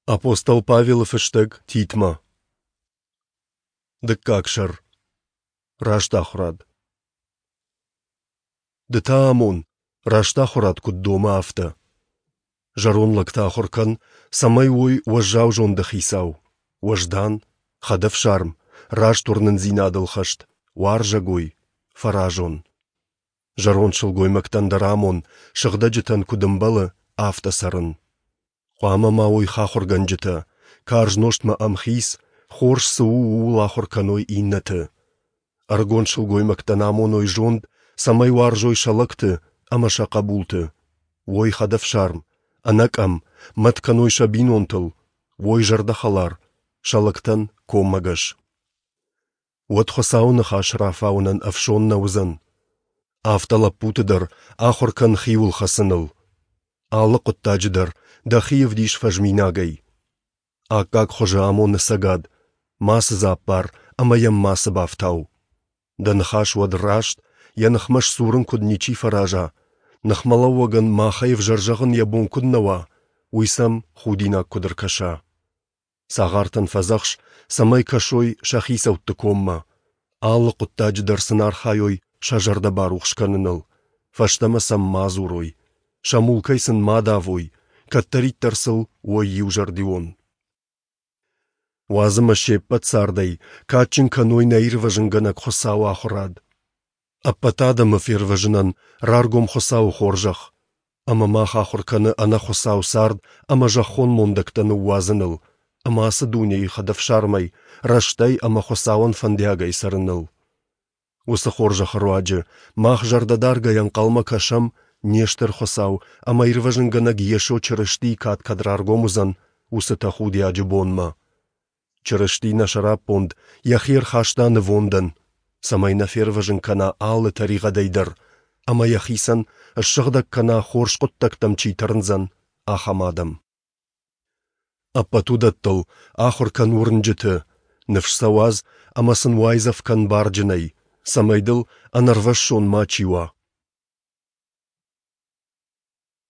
Апостол Павелы фыстӕг Титмӕ. Дыккаг сӕр. Раст ахуырад. Ды та амон, раст ахуырад куыд домы, афтӕ. Зӕронд лӕгты ахуыр кӕн, цӕмӕй уой уӕззау зонды хицау, уӕздан, хӕдӕфсарм, раст уырнындзинадыл хӕст, уарзӕгой, фӕразон. Зӕронд сылгоймӕгтӕн дӕр амон, сыгъдӕджытӕн куыд ӕмбӕлы, афтӕ цӕрын. Хъуамӕ ма уой хахуыргӕнджытӕ, карз нозтмӕ ӕмхиц, хорз цы у, ууыл ахуыр кӕной иннӕты. Ӕрыгон сылгоймӕгтӕн амоной зонд, цӕмӕй уарзой сӕ лӕгты ӕмӕ сӕ хъӕбулты, уой хӕдӕфсарм, ӕнӕкъӕм, мӕт кӕной сӕ бинонтыл, уой зӕрдӕхӕлар, сӕ лӕгтӕн коммӕгӕс. Уӕд Хуыцауы ныхас рафауынӕн ӕфсон нӕ уыдзӕн. Афтӕ лӕппуты дӕр ахуыр кӕн хиуыл хӕцыныл. Алы хъуыддаджы дӕр дӕхи ӕвдис фӕзминагӕй. Аккаг хуызы амон ӕцӕгад, мацы дзы аппар ӕмӕ йӕм мацы бафтау. Дӕ ныхас уӕд раст, йӕ ныхмӕ сдзурын куыд ничи фӕраза, ныхмӕлӕууӕгӕн махӕй ӕвзӕр зӕгъын йӕ бон куыд нӕ уа, уый сӕм худинаг куыд ӕркӕса. Цагъартӕн фӕдзӕхс, цӕмӕй кӕсой сӕ хицӕутты коммӕ, алы хъуыддаджы дӕр сын архайой сӕ зӕрдӕ барухс кӕныныл, фӕстӕмӕ сӕм ма дзурой, сӕ мулкӕй сын ма давой, кӕддӕриддӕр сыл уой иузӕрдион. Уадз ӕмӕ се ппӕт цардӕй кадджын кӕной нӕ Ирвӕзынгӕнӕг Хуыцауы ахуырад. Ӕппӕт адӕмы фервӕзынӕн раргом Хуыцауы хорзӕх, ӕмӕ мах ахуыр кӕны ӕнӕхуыцау цард ӕмӕ зӕххон мондӕгтӕ ныууадзыныл ӕмӕ ацы дунейы хӕдӕфсармӕй, рӕстӕй ӕмӕ Хуыцауӕн фӕндиагӕй цӕрыныл. Уыцы хорзӕхы руаджы мах зӕрдӕдаргӕйӕ ӕнхъӕлмӕ кӕсӕм не стыр Хуыцау ӕмӕ Ирвӕзынгӕнӕг Йесо Чырыстийы кад кӕд раргом уыдзӕн, уыцы тӕхудиаджы бонмӕ. Чырысти нӕ сӕраппонд йӕхи ӕрхаста нывондӕн, цӕмӕй нӕ фервӕзын кӕна алы тӕригъӕдӕй дӕр ӕмӕ йӕхицӕн ссыгъдӕг кӕна хорз хъуыддӕгтӕм чи тырндзӕн, ахӕм адӕм. Ӕппӕт уыдӕттыл ахуыр кӕн уырнджыты, ныфс сӕ уадз ӕмӕ сын уайдзӕф кӕн барджынӕй, цӕмӕй дыл ӕнӕрвӕссон мачи уа.